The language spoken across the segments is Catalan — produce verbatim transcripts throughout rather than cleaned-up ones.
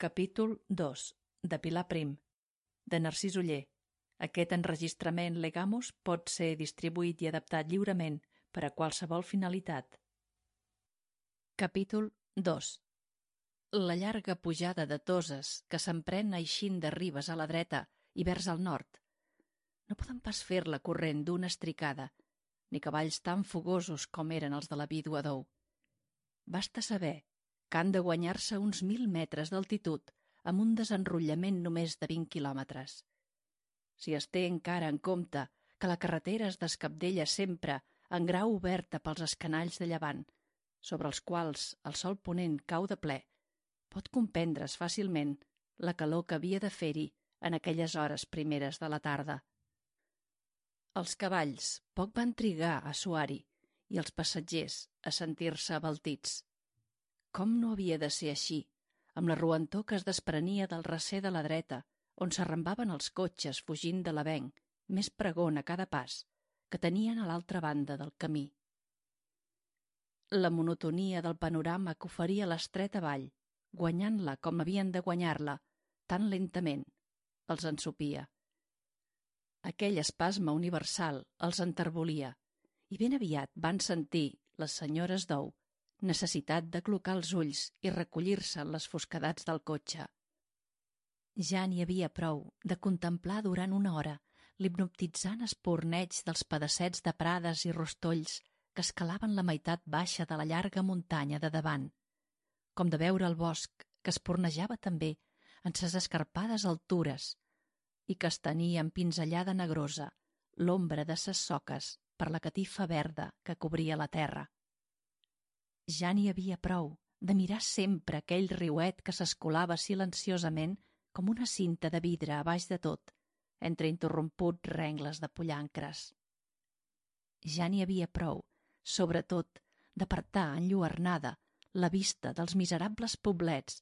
Capítol dos. De Pilar Prim. De Narcís Oller. Aquest enregistrament Legamus pot ser distribuït i adaptat lliurement per a qualsevol finalitat. Capítol dos. La llarga pujada de Toses que s'emprèn eixint de Ribes a la dreta i vers al nord. No poden pas fer-la corrent d'una estricada, ni cavalls tan fogosos com eren els de la vídua d'Ou. Basta saber que han de guanyar-se uns mil metres d'altitud amb un desenrotllament només de vint quilòmetres. Si es té encara en compte que la carretera es descabdella sempre en grau oberta pels escanalls de llevant, sobre els quals el sol ponent cau de ple, pot comprendre's fàcilment la calor que havia de fer-hi en aquelles hores primeres de la tarda. Els cavalls poc van trigar a suar-hi i els passatgers a sentir-se abaltits. Com no havia de ser així, amb la roentor que es desprenia del recer de la dreta, on s'arrambaven els cotxes fugint de l'avenc, més pregon a cada pas, que tenien a l'altra banda del camí. La monotonia del panorama que oferia l'estreta vall, guanyant-la com havien de guanyar-la, tan lentament, els ensopia. Aquell espasme universal els enterbolia, i ben aviat van sentir les senyores d'Ou necessitat de clocar els ulls i recollir-se en les fosquedats del cotxe. Ja n'hi havia prou de contemplar durant una hora l'hipnotitzant esporneig dels pedassets de prades i rostolls que escalaven la meitat baixa de la llarga muntanya de davant, com de veure el bosc que espornejava també en ses escarpades altures i que estenia en pinzellada negrosa l'ombra de ses soques per la catifa verda que cobria la terra. Ja n'hi havia prou de mirar sempre aquell riuet que s'escolava silenciosament com una cinta de vidre a baix de tot, entre interromputs rengles de pollancres. Ja n'hi havia prou, sobretot, d'apartar enlluernada la vista dels miserables poblets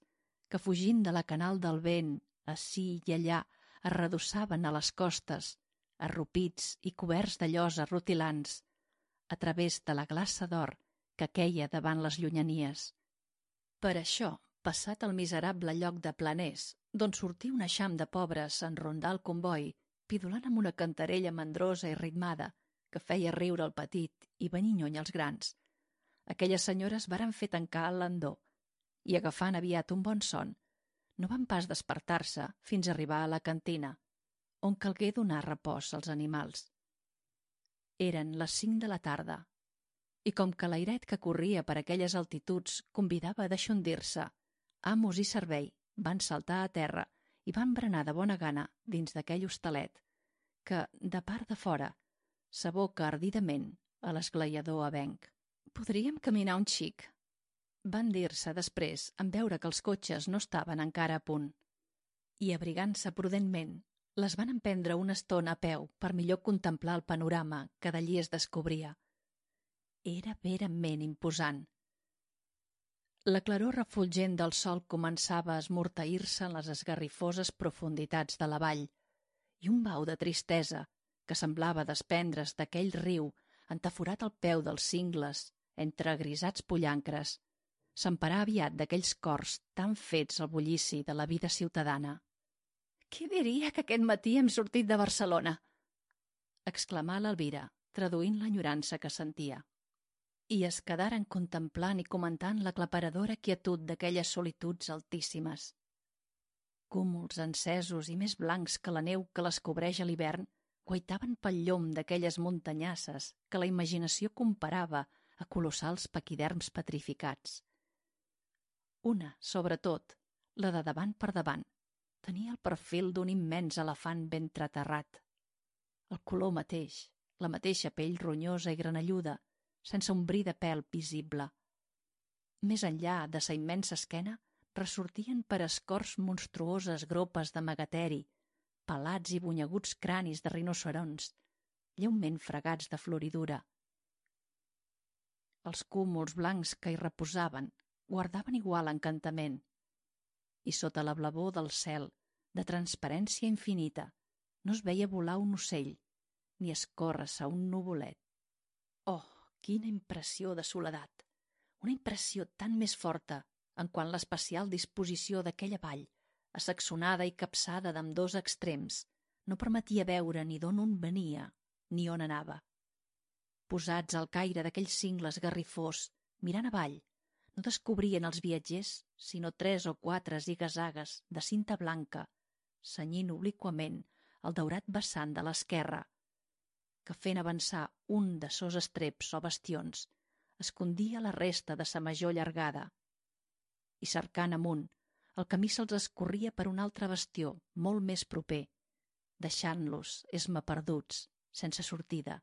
que, fugint de la canal del vent, ací i allà, es redossaven a les costes, arrupits i coberts de llosa rutilants, a través de la glaça d'or que queia davant les llunyanies. Per això, passat el miserable lloc de Planers, d'on sortia un eixam de pobres en rondar el comboi, pidolant amb una cantarella mandrosa i ritmada que feia riure el petit i venir lluny els grans, aquelles senyores varen fer tancar el landó i, agafant aviat un bon son, no van pas despertar-se fins a arribar a la cantina, on calgué donar repòs als animals. Eren les cinc de la tarda, i com que l'airet que corria per aquelles altituds convidava a deixondir-se, amos i servei van saltar a terra i van berenar de bona gana dins d'aquell hostalet que, de part de fora, s'aboca ardidament a l'esglaiador avenc. «Podríem caminar un xic», van dir-se després en veure que els cotxes no estaven encara a punt. I, abrigant-se prudentment, les van emprendre una estona a peu per millor contemplar el panorama que d'allí es descobria. Era verament imposant. La claror refulgent del sol començava a esmorteir-se en les esgarrifoses profunditats de la vall, i un bau de tristesa, que semblava desprendre's d'aquell riu entaforat al peu dels cingles, entre grisats pollancres, s'emparà aviat d'aquells cors tan fets al bullici de la vida ciutadana. «Qui diria que aquest matí hem sortit de Barcelona?» exclamà l'Elvira, traduint l'enyorança que sentia. I es quedaren contemplant i comentant l'aclaparadora quietud d'aquelles solituds altíssimes. Cúmuls encesos i més blancs que la neu que les cobreix a l'hivern guaitaven pel llom d'aquelles muntanyasses que la imaginació comparava a colossals paquiderms petrificats. Una, sobretot, la de davant per davant, tenia el perfil d'un immens elefant ben traterrat. El color mateix, la mateixa pell ronyosa i granelluda, sense un bri de pèl visible. Més enllà de sa immensa esquena ressortien per escorç monstruoses gropes de megateri, pelats i bunyeguts cranis de rinocerons, lleument fregats de floridura. Els cúmuls blancs que hi reposaven guardaven igual encantament, i sota la blavor del cel, de transparència infinita, no es veia volar un ocell, ni escórrer-se un nuvolet. Oh, quina impressió de soledat! Una impressió tan més forta en quant l'especial disposició d'aquella vall, assaxonada i capçada d'ambdós extrems, no permetia veure ni d'on un venia ni on anava. Posats al caire d'aquells cingles garrifós, mirant avall, no descobrien els viatgers sinó tres o quatre zigazagues de cinta blanca, senyint obliquament el daurat vessant de l'esquerra, que fent avançar un de sos estreps o bastions, escondia la resta de sa major llargada. I cercant amunt, el camí se'ls escorria per un altre bastió molt més proper, deixant-los esma perduts, sense sortida.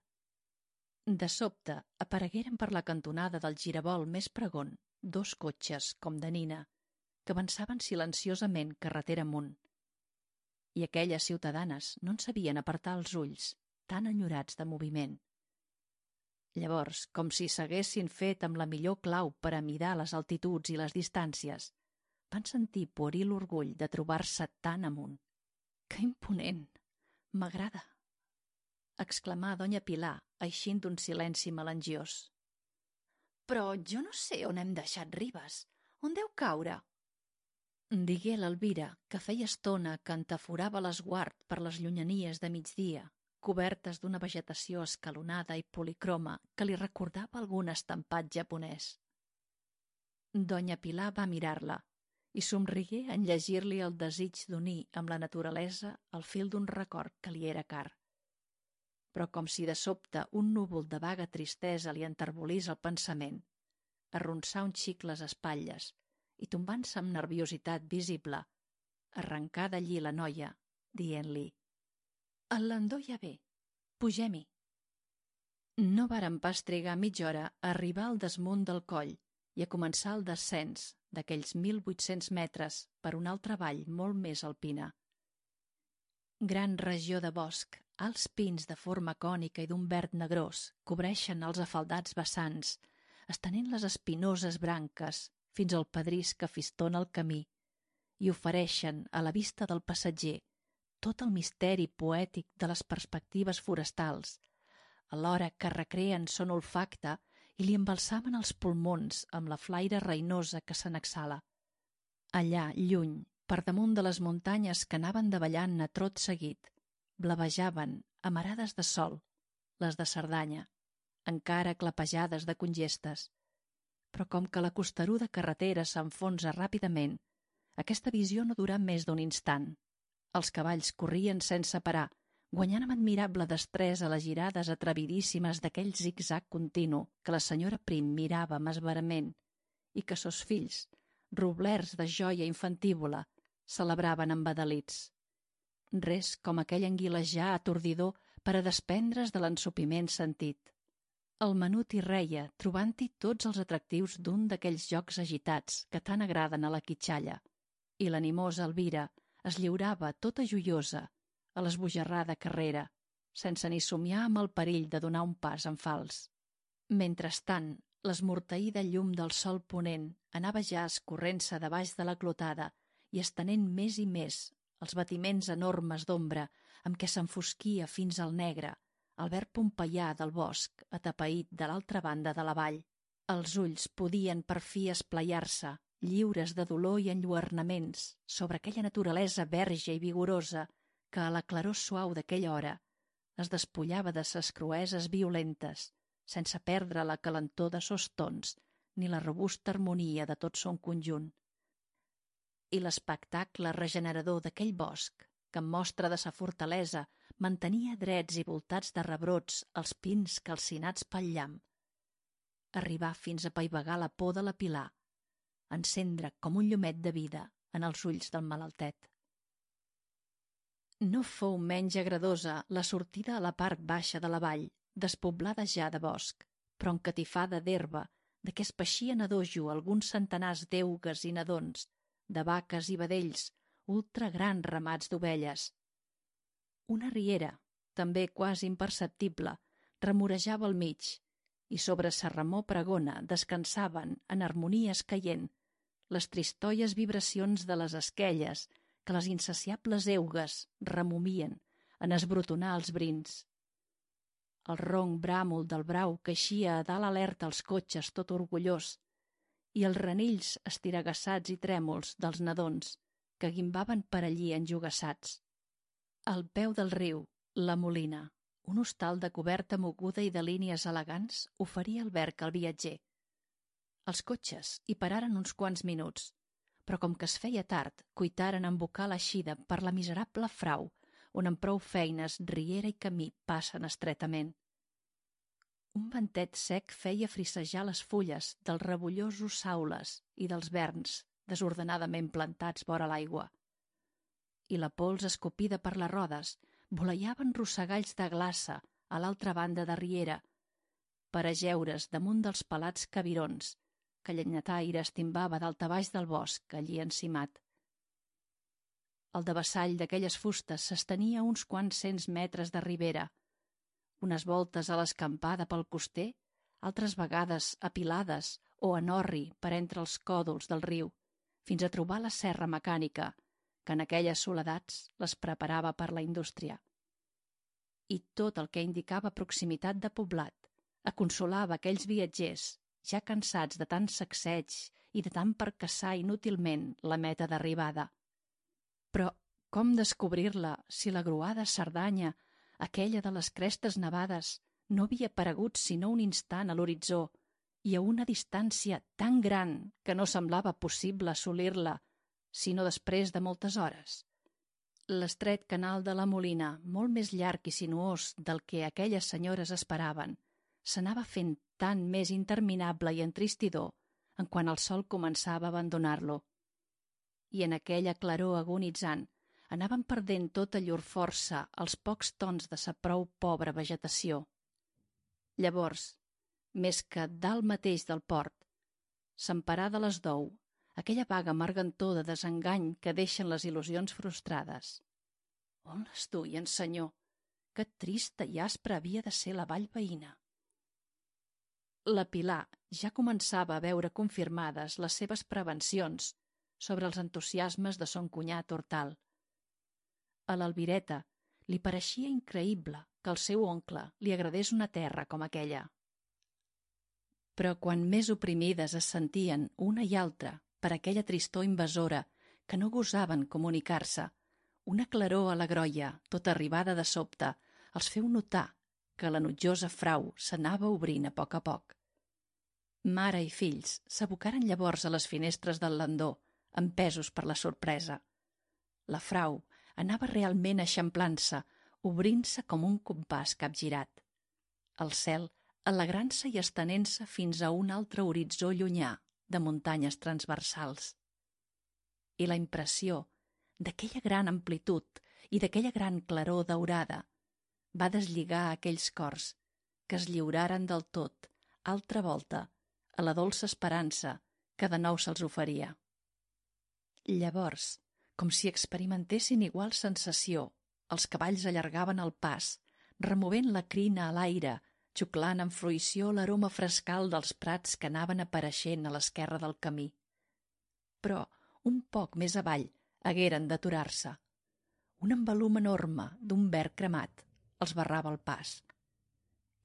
De sobte aparegueren per la cantonada del giravolt més pregon dos cotxes, com de nina, que avançaven silenciosament carretera amunt. I aquelles ciutadanes no en sabien apartar els ulls, tan enyorats de moviment. Llavors, com si s'haguessin fet amb la millor clau per a midar les altituds i les distàncies, van sentir pueril l'orgull de trobar-se tan amunt. «Que imponent! M'agrada!» exclamà doña Pilar, eixint d'un silenci melangiós. «Però jo no sé on hem deixat Ribes. On deu caure?» Digué l'Elvira, que feia estona que entaforava l'esguard per les llunyanies de migdia, cobertes d'una vegetació escalonada i policroma que li recordava algun estampat japonès. Doña Pilar va mirar-la i somrigué en llegir-li el desig d'unir amb la naturalesa el fil d'un record que li era car. Però com si de sobte un núvol de vaga tristesa li enterbolís el pensament, arronsà un xic les espatlles i tombant-se amb nerviositat visible, arrencà d'allí la noia, dient-li: «El landó ja ve, pugem-hi». No varen pas trigar mitja hora a arribar al desmunt del coll i a començar el descens d'aquells mil vuit-cents metres per una altra vall molt més alpina. Gran regió de bosc, alts pins de forma cònica i d'un verd negrós cobreixen els afaldats vessants, estenent les espinoses branques fins al pedrís que fistona el camí i ofereixen a la vista del passatger tot el misteri poètic de les perspectives forestals, alhora que recreen son olfacte i li embalsamen els pulmons amb la flaire reinosa que se n'exhala. Allà, lluny, per damunt de les muntanyes que anaven davallant a trot seguit, blavejaven, amarades de sol, les de Cerdanya, encara clapejades de congestes. Però com que la costeruda carretera s'enfonsa ràpidament, aquesta visió no durà més d'un instant. Els cavalls corrien sense parar, guanyant amb admirable destresa les girades atrevidíssimes d'aquell zig-zag continu que la senyora Prim mirava amb esverament i que sos fills, roblerts de joia infantívola, celebraven embadalits. Res com aquell anguilejar atordidor per a desprendre's de l'ensopiment sentit. El menut hi reia, trobant-hi tots els atractius d'un d'aquells jocs agitats que tant agraden a la quitxalla, i l'animosa Elvira es lliurava tota joiosa a l'esbojarrada carrera, sense ni somiar amb el perill de donar un pas en fals. Mentrestant, l'esmorteïda llum del sol ponent anava ja escorrent-se de baix de la clotada i estenent més i més els batiments enormes d'ombra amb què s'enfosquia fins al negre el verd pompeià del bosc atapeït de l'altra banda de la vall. Els ulls podien per fi esplaiar-se, lliures de dolor i enlluernaments, sobre aquella naturalesa verge i vigorosa que a la claror suau d'aquella hora es despullava de ses crueses violentes, sense perdre la calentor de sos tons ni la robusta harmonia de tot son conjunt. I l'espectacle regenerador d'aquell bosc, que en mostra de sa fortalesa mantenia drets i voltats de rebrots els pins calcinats pel llamp. Arribar fins a paivagar la por de la Pilar, encendre com un llumet de vida en els ulls del malaltet. No fou menys agradosa la sortida a la part baixa de la vall, despoblada ja de bosc, però encatifada d'herba, de què es peixien a dojo alguns centenars d'eugues i nadons, de vaques i vedells, ultra grans ramats d'ovelles. Una riera, també quasi imperceptible, remorejava al mig, i sobre sa remor pregona descansaven, en harmonies caient, les tristoies vibracions de les esquelles que les insaciables eugues remomien en esbrotonar els brins. El ronc bràmol del brau que eixia a dalt alerta als cotxes tot orgullós, i els renills estiragassats i trèmols dels nadons que guimbaven per allí enjogassats. Al peu del riu, la Molina, un hostal de coberta moguda i de línies elegants, oferia alberg al viatger. Els cotxes hi pararen uns quants minuts, però com que es feia tard, cuitaren a embocar l'eixida per la miserable frau, on amb prou feines riera i camí passen estretament. Un ventet sec feia frissejar les fulles dels rebollosos saules i dels verns desordenadament plantats vora l'aigua. I la pols escopida per les rodes voleiaven rossegalls de glaça a l'altra banda de riera, per ajeure's damunt dels pelats cabirons que llenyataire estimbava daltabaix del bosc allí encimat. El devessall d'aquelles fustes s'estenia uns quants cents metres de ribera, unes voltes a l'escampada pel coster, altres vegades apilades o en orri per entre els còdols del riu, fins a trobar la serra mecànica, que en aquelles soledats les preparava per la indústria. I tot el que indicava proximitat de poblat aconsolava aquells viatgers, ja cansats de tant sacseig i de tant percaçar inútilment la meta d'arribada. Però com descobrir-la si la gruada Cerdanya, aquella de les crestes nevades, no havia aparegut sinó un instant a l'horitzó i a una distància tan gran que no semblava possible assolir-la sinó després de moltes hores? L'estret canal de la Molina, molt més llarg i sinuós del que aquelles senyores esperaven, s'anava fent tant més interminable i entristidor en quan el sol començava a abandonar-lo. I en aquella claror agonitzant anaven perdent tota llur força els pocs tons de sa prou pobra vegetació. Llavors, més que dalt mateix del port, s'emparà de les dou, aquella vaga margantor de desengany que deixen les il·lusions frustrades. On les duien, senyor? Que trista i aspra havia de ser la vall veïna. La Pilar ja començava a veure confirmades les seves prevencions sobre els entusiasmes de son cunyat Hortal. A l'Albireta li pareixia increïble que al seu oncle li agradés una terra com aquella. Però quan més oprimides es sentien una i altra per aquella tristor invasora que no gosaven comunicar-se, una claror a la grolla, tota arribada de sobte, els feu notar que la nutjosa frau s'anava obrint a poc a poc. Mare i fills s'abocaren llavors a les finestres del landó, empesos per la sorpresa. La frau anava realment eixamplant-se, obrint-se com un compàs capgirat. El cel alegrant-se i estenent-se fins a un altre horitzó llunyà de muntanyes transversals. I la impressió d'aquella gran amplitud i d'aquella gran claror daurada va deslligar aquells cors que es lliuraren del tot, altra volta, a la dolça esperança que de nou se'ls oferia. Llavors, com si experimentessin igual sensació, els cavalls allargaven el pas, removent la crina a l'aire, xuclant amb fruïció l'aroma frescal dels prats que anaven apareixent a l'esquerra del camí. Però, un poc més avall, hagueren d'aturar-se. Un embalum enorme d'un verd cremat els barrava el pas.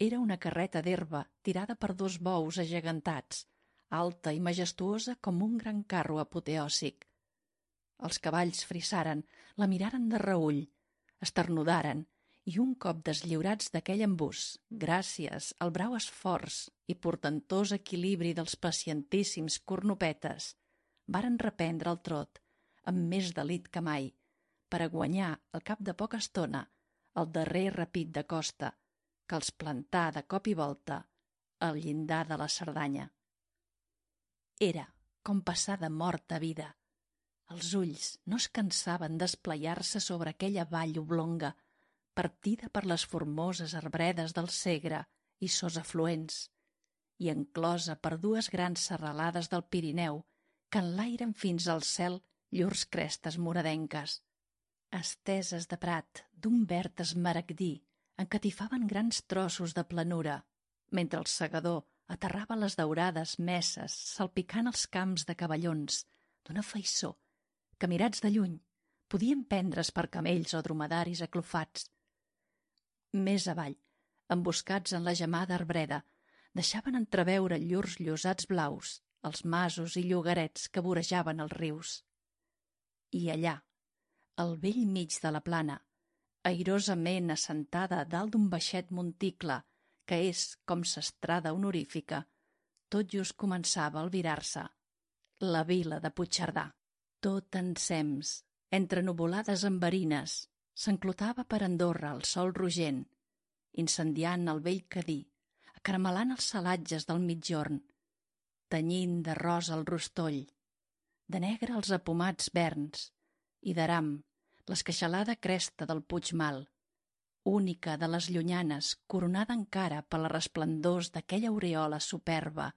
Era una carreta d'herba tirada per dos bous agegantats, alta i majestuosa com un gran carro apoteòsic. Els cavalls frissaren, la miraren de reüll, esternudaren i un cop deslliurats d'aquell embús, gràcies al brau esforç i portentós equilibri dels pacientíssims cornopetes, varen reprendre el trot amb més delit que mai, per a guanyar, al cap de poca estona, el darrer repit de costa, que els plantà de cop i volta al llindar de la Cerdanya. Era com passar de mort a vida. Els ulls no es cansaven d'esplaiar-se sobre aquella vall oblonga, partida per les formoses arbredes del Segre i sos afluents, i enclosa per dues grans serralades del Pirineu que enlairen fins al cel llurs crestes moradenques. Esteses de prat d'un verd esmaragdí encatifaven grans trossos de planura, mentre el segador aterrava les daurades messes salpicant els camps de cavallons d'una faiçó que, mirats de lluny, podien prendre's per camells o dromedaris aclofats. Més avall, emboscats en la gemada arbreda, deixaven entreveure llurs llosats blaus els masos i llogarets que vorejaven els rius. I allà, al bell mig de la plana, airosament assentada dalt d'un baixet monticle que és com s'estrada honorífica, tot just començava a albirar-se la vila de Puigcerdà. Tot ensems, entre nuvolades enverines, s'enclotava per Andorra el sol rogent, incendiant el vell Cadí, acaramelant els salatges del migjorn, tenyint de rosa el rostoll, de negre els apomats verns i d'aram l'esqueixalada cresta del Puigmal, única de les llunyanes, coronada encara per les resplendors d'aquella aureola superba,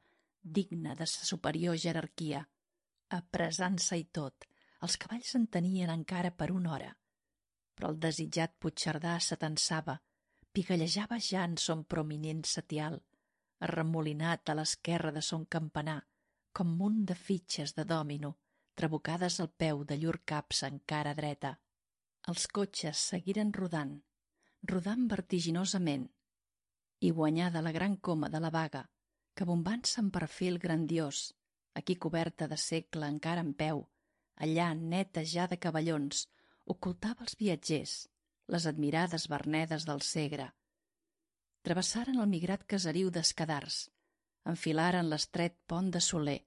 digna de sa superior jerarquia. Apressant-se i tot, els cavalls en tenien encara per una hora, però el desitjat Puigcerdà s'atensava, pigallejava ja en son prominent setial, arremolinat a l'esquerra de son campanar, com munt de fitxes de dòmino, trabucades al peu de llur caps encara dreta. Els cotxes seguiren rodant, rodant vertiginosament, i guanyada la gran coma de la Baga, que bombant-se en perfil grandiós, aquí coberta de segle encara en peu, allà neta ja de cavallons, ocultava els viatgers, les admirades vernedes del Segre. Travessaren el migrat caseriu d'Escadars, enfilaren l'estret pont de Soler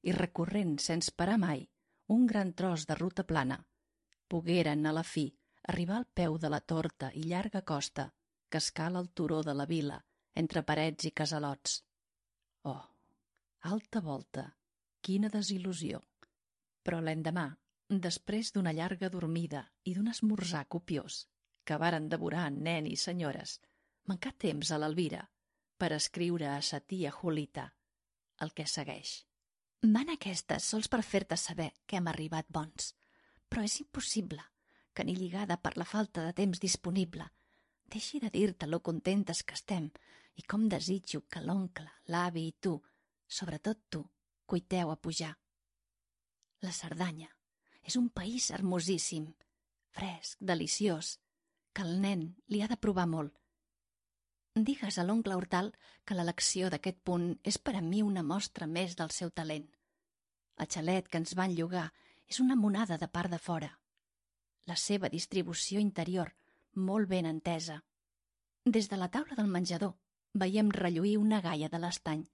i recorrent sense parar mai un gran tros de ruta plana, pogueren a la fi arribar al peu de la torta i llarga costa que escala el turó de la vila entre parets i casalots. Oh, alta volta, quina desil·lusió! Però l'endemà, després d'una llarga dormida i d'un esmorzar copiós que varen devorar nen i senyores, mancà temps a l'Elvira per escriure a sa tia Julita el que segueix. Van aquestes sols per fer-te saber que hem arribat bons, però és impossible que ni lligada per la falta de temps disponible deixi de dir-te lo contentes que estem i com desitjo que l'oncle, l'avi i tu, sobretot tu, cuiteu a pujar. La Cerdanya és un país hermosíssim, fresc, deliciós, que el nen li ha de provar molt. Digues a l'oncle Hortal que l'elecció d'aquest punt és per a mi una mostra més del seu talent. El xalet que ens van llogar és una monada de part de fora. La seva distribució interior molt ben entesa. Des de la taula del menjador veiem relluir una gaia de l'estany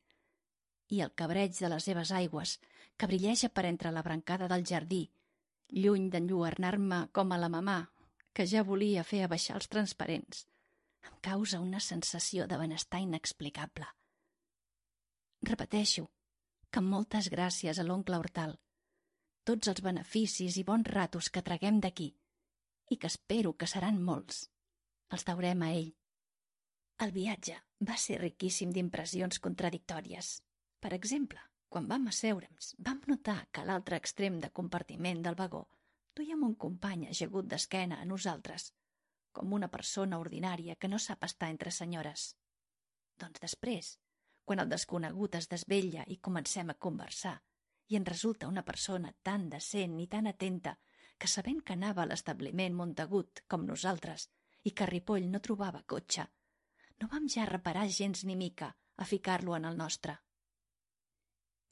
i el cabreig de les seves aigües que brilleja per entre la brancada del jardí, lluny d'enlluernar-me com a la mamà, que ja volia fer abaixar els transparents, em causa una sensació de benestar inexplicable. Repeteixo que moltes gràcies a l'oncle Hortal, tots els beneficis i bons ratos que traguem d'aquí, i que espero que seran molts, els deurem a ell. El viatge va ser riquíssim d'impressions contradictòries. Per exemple, quan vam asseure'ns, vam notar que a l'altre extrem de compartiment del vagó duíem un company ajagut d'esquena a nosaltres, com una persona ordinària que no sap estar entre senyores. Doncs després, quan el desconegut es desvetlla i comencem a conversar, i en resulta una persona tan decent i tan atenta que sabent que anava a l'establiment Montagut com nosaltres i que a Ripoll no trobava cotxe, no vam ja reparar gens ni mica a ficar-lo en el nostre.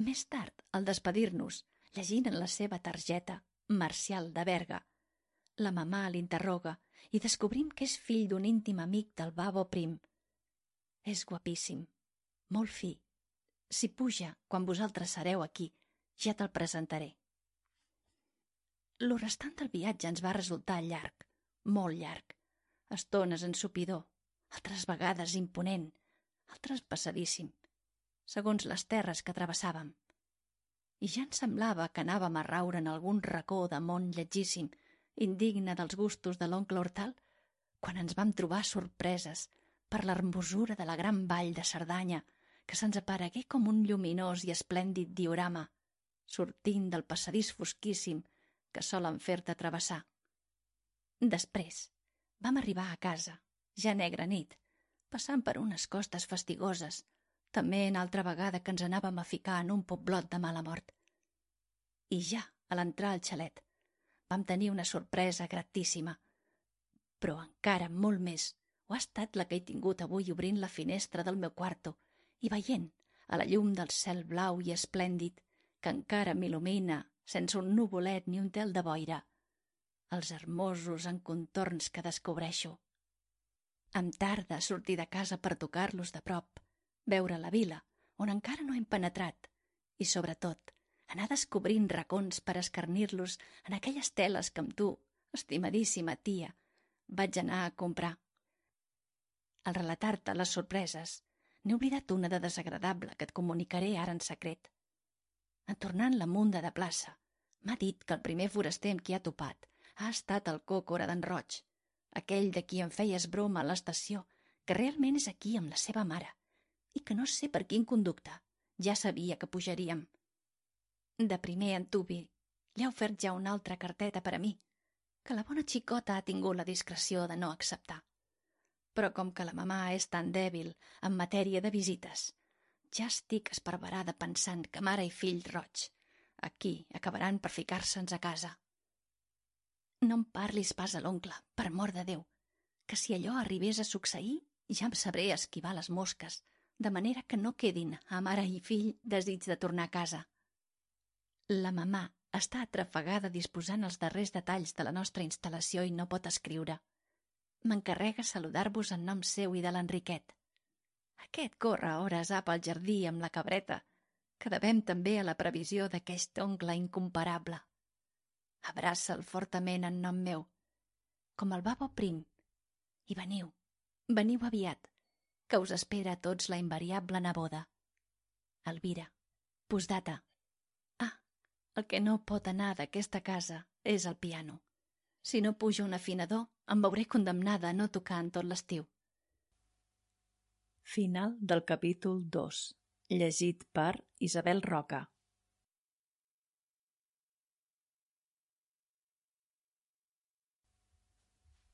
Més tard, al despedir-nos, llegint en la seva targeta Marcial de Berga, la mamà l'interroga i descobrim que és fill d'un íntim amic del Babo Prim. És guapíssim, molt fi. Si puja, quan vosaltres sereu aquí, ja te'l presentaré. Lo restant del viatge ens va resultar llarg, molt llarg. Estones ensopidor, altres vegades imponent, altres passadíssim, segons les terres que travessàvem. I ja ens semblava que anàvem a raure en algun racó de món lletgíssim, indigne dels gustos de l'oncle Hortal, quan ens vam trobar sorpreses per l'hermosura de la gran vall de Cerdanya, que se'ns aparegué com un lluminós i esplèndid diorama, sortint del passadís fosquíssim que solen fer-te travessar. Després vam arribar a casa, ja negra nit, passant per unes costes fastigoses, també en altra vegada que ens anàvem a ficar en un poblot de mala mort. I ja, a l'entrar al xalet, vam tenir una sorpresa gratíssima, però encara molt més ho ha estat la que he tingut avui obrint la finestra del meu quarto i veient a la llum del cel blau i esplèndid que encara m'il·lumina sense un nuvolet ni un tel de boira, els hermosos encontorns que descobreixo. Em tarda sortir de casa per tocar-los de prop, veure la vila, on encara no hem penetrat, i, sobretot, anar descobrint racons per escarnir-los en aquelles teles que amb tu, estimadíssima tia, vaig anar a comprar. Al relatar-te les sorpreses, n'he oblidat una de desagradable que et comunicaré ara en secret. En tornant la munda de plaça, m'ha dit que el primer foraster amb qui ha topat ha estat el còcora d'en Roig, aquell de qui em feies broma a l'estació, que realment és aquí amb la seva mare, i que no sé per quin conducte, ja sabia que pujaríem. De primer en Tubi li ha ofert ja una altra carteta per a mi, que la bona xicota ha tingut la discreció de no acceptar. Però com que la mamà és tan dèbil en matèria de visites, ja estic esparverada pensant que mare i fill Roig aquí acabaran per ficar-se'ns a casa. No em parlis pas a l'oncle, per amor de Déu, que si allò arribés a succeir ja em sabré esquivar les mosques, de manera que no quedin a mare i fill desig de tornar a casa. La mamà està atrafegada disposant els darrers detalls de la nostra instal·lació i no pot escriure. M'encarrega saludar-vos en nom seu i de l'Enriquet. Aquest corre a hores a pel jardí amb la cabreta, que devem també a la previsió d'aquest oncle incomparable. Abraça'l fortament en nom meu, com el babo prim, i veniu, veniu aviat, que us espera a tots la invariable neboda. Elvira. Postdata. Ah, el que no pot anar d'aquesta casa és el piano. Si no pujo un afinador, em veuré condemnada a no tocar en tot l'estiu. Final del capítol dos. Llegit per Isabel Roca.